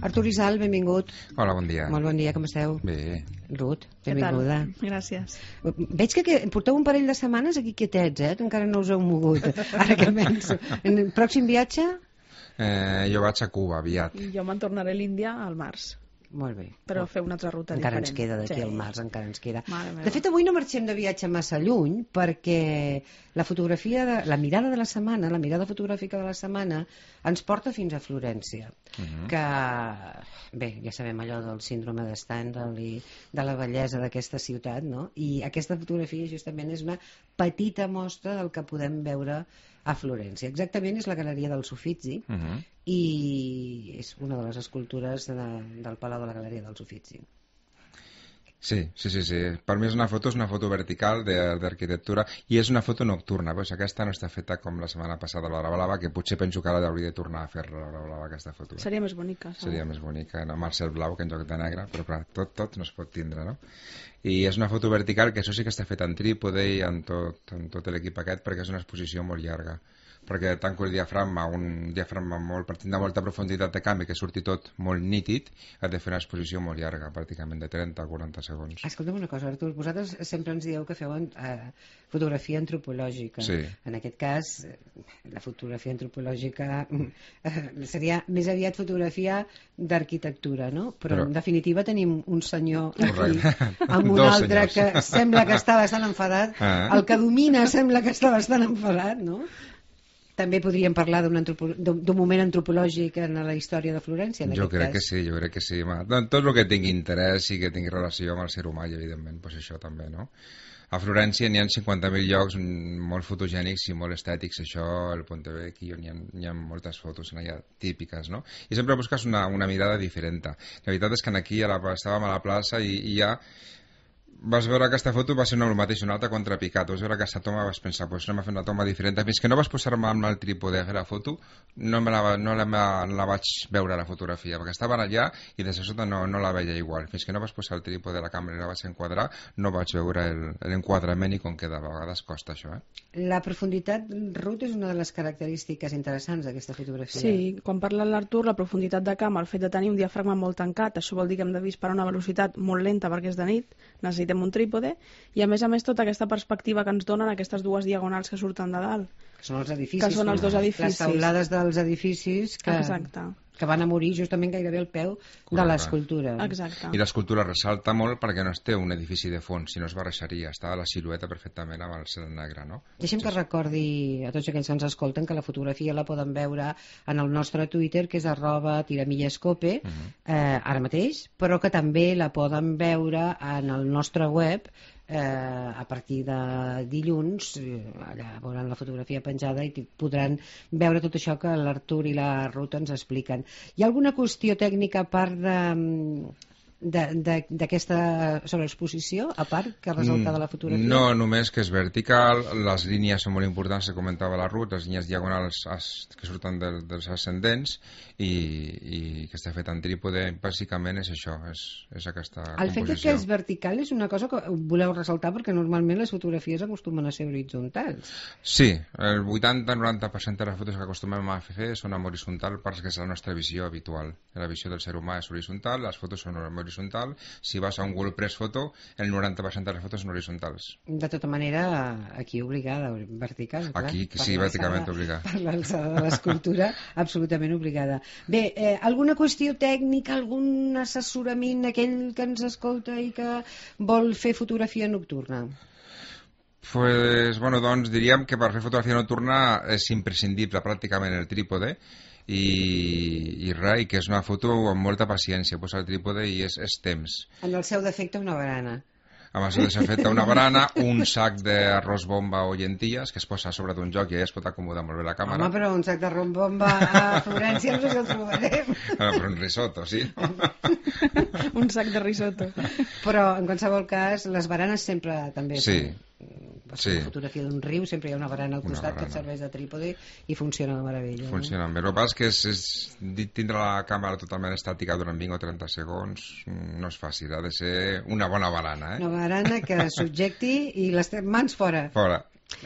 Artur Isal, benvingut. Hola, bon dia. Molt bon dia, com esteu? Bé. Ruth, benvinguda. Gràcies. Veig que porteu un parell de setmanes aquí quietets, que encara no us heu mogut. Ara que penso. En el pròxim viatge? Jo vaig a Cuba, aviat. I jo me'n tornaré a l'Índia al març. Molt bé. Però fer una altra ruta encara diferent. Ens queda d'aquí al març, encara ens queda. De fet, avui no marxem de viatge massa lluny perquè la fotografia, la mirada de la setmana, la mirada fotogràfica de la setmana ens porta fins a Florència. Que, bé, ja sabem allò del síndrome de Stendhal i de la bellesa d'aquesta ciutat, no? I aquesta fotografia justament és una petita mostra del que podem veure a Florència. Exactament és la Galeria dels Uffizi i és una de les escultures del Palau de la Galeria dels Uffizi. Sí. Per mi és una foto vertical d'arquitectura i és una foto nocturna, però aquesta no està feta com la setmana passada l'Hora Blava, que potser penso que ara hauria de tornar a fer l'Hora Blava, aquesta foto. Seria més bonica. Seria més bonica, no? Amb el cel blau que en lloc de negre, però clar, tot no es pot tindre, no? I és una foto vertical que això sí que està feta en trípode i en tot l'equip aquest, perquè és una exposició molt llarga, perquè tanco el diafragma, un diafragma molt, partint de molta profunditat de canvi, que surti tot molt nítid, has de fer una exposició molt llarga, pràcticament de 30 a 40 segons. Escolta'm una cosa, Artur, vosaltres sempre ens dieu que feu fotografia antropològica. Sí. En aquest cas, la fotografia antropològica seria més aviat fotografia d'arquitectura, no? Però en definitiva tenim un senyor aquí amb un altre que sembla que està bastant enfadat. El que domina sembla que està bastant enfadat, no? També podríem parlar d'un moment antropològic en la història de Florència, en jo aquest cas. Jo crec que sí. Tot el que tingui interès i que tingui relació amb el ser humà, i evidentment, doncs això també, no? A Florència n'hi ha 50.000 llocs molt fotogènics i molt estètics, això, el Ponte Vecchio, n'hi ha moltes fotos allà típiques, no? I sempre busques una mirada diferent. La veritat és que aquí estàvem a la plaça i ja vas veure aquesta foto, va ser el mateix, una altra contrapicat. Vas veure aquesta toma, vas pensar, doncs anem a fer una toma diferent. Fins que no vas posar-me amb el trípode a fer la foto, no la vaig veure la fotografia, perquè estaven allà i des de sota no la veia igual. Fins que no vas posar el trípode de la càmera i la vaig enquadrar, no vaig veure l'enquadrament i com queda. A vegades costa això, La profunditat, Ruth, és una de les característiques interessants d'aquesta fotografia. Sí, quan parla l'Artur, la profunditat de camp, el fet de tenir un diafragma molt tancat, això vol dir que hem de disparar a una velocitat molt lenta perquè és de nit, necessitem un trípode, i a més tota aquesta perspectiva que ens donen aquestes dues diagonals que surten de dalt. Que són els edificis. Que són els dos edificis. Les taulades dels edificis que van a morir justament gairebé al peu de l'escultura. Exacte. I l'escultura ressalta molt perquè no es té un edifici de fons, sinó es barreixaria, està la silueta perfectament amb el cel negre, no? Deixem que recordi a tots aquells que ens escolten que la fotografia la poden veure en el nostre Twitter, que és @tiramillescope, ara mateix, però que també la poden veure en el nostre web a partir de dilluns. Allà veuran la fotografia penjada i podran veure tot això que l'Artur i la Ruth ens expliquen. Hi ha alguna qüestió tècnica a part d'aquesta sobreexposició, a part que resulta de la fotografia? No, només que és vertical, les línies són molt importants, que comentava la Ruth, les línies diagonals que surten dels ascendents i que està fet en trípode, bàsicament és això, és aquesta composició. El fet que és vertical és una cosa que voleu ressaltar perquè normalment les fotografies acostumen a ser horitzontals. Sí, el 80-90% de les fotos que acostumem a fer són en horitzontal perquè és la nostra visió habitual. La visió del ser humà és horitzontal, les fotos són horitzontals. Si vas a un Google Press Photo, el 90% de les fotos són horitzontals. De tota manera, aquí obligada, vertical. Aquí sí, verticalment obligada. Per l'alçada de l'escultura, absolutament obligada. Bé, alguna qüestió tècnica, algun assessorament, aquell que ens escolta i que vol fer fotografia nocturna? Doncs diríem que per fer fotografia nocturna és imprescindible pràcticament el trípode, i que és una foto amb molta paciència, posar el trípode i és temps. En el seu defecte una barana. Amb el seu defecte una barana, un sac d'arròs bomba o llenties que es posa a sobre d'un joc i allà es pot acomodar molt bé la càmera. Home, però un sac d'arròs bomba a Florència no sé si el trobarem. Però un risotto, sí. Un sac de risotto. Però en qualsevol cas les baranes sempre també Sí. La fotografia d'un riu sempre hi ha una barana al costat que et serveix de trípode i funciona de meravella. Funciona bé. El que passa és que tindre la càmera totalment estàtica durant 20 o 30 segons no és fàcil, ha de ser una bona barana. Una barana que subjecti i les mans fora. Fora.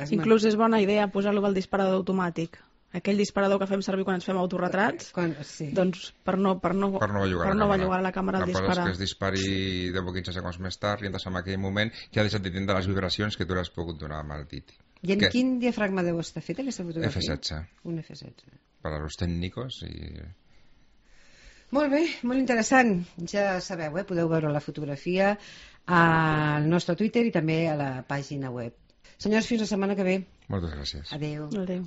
Inclús és bona idea posar-lo al disparador automàtic, aquell disparador que fem servir quan ens fem autorretrats, Sí. doncs per no bellugar la càmera al disparar. La cosa és que es dispari 10 o 15 segons més tard i entres en aquell moment ja deixat de tindre les vibracions que tu l'has pogut donar amb el dit. I en quin diafragma deu estar feta aquesta fotografia? F16. Un F16. Per a los tècnicos i... Molt bé, molt interessant. Ja sabeu, podeu veure la fotografia al nostre Twitter i també a la pàgina web. Senyors, fins la setmana que ve. Moltes gràcies. Adéu. Adéu.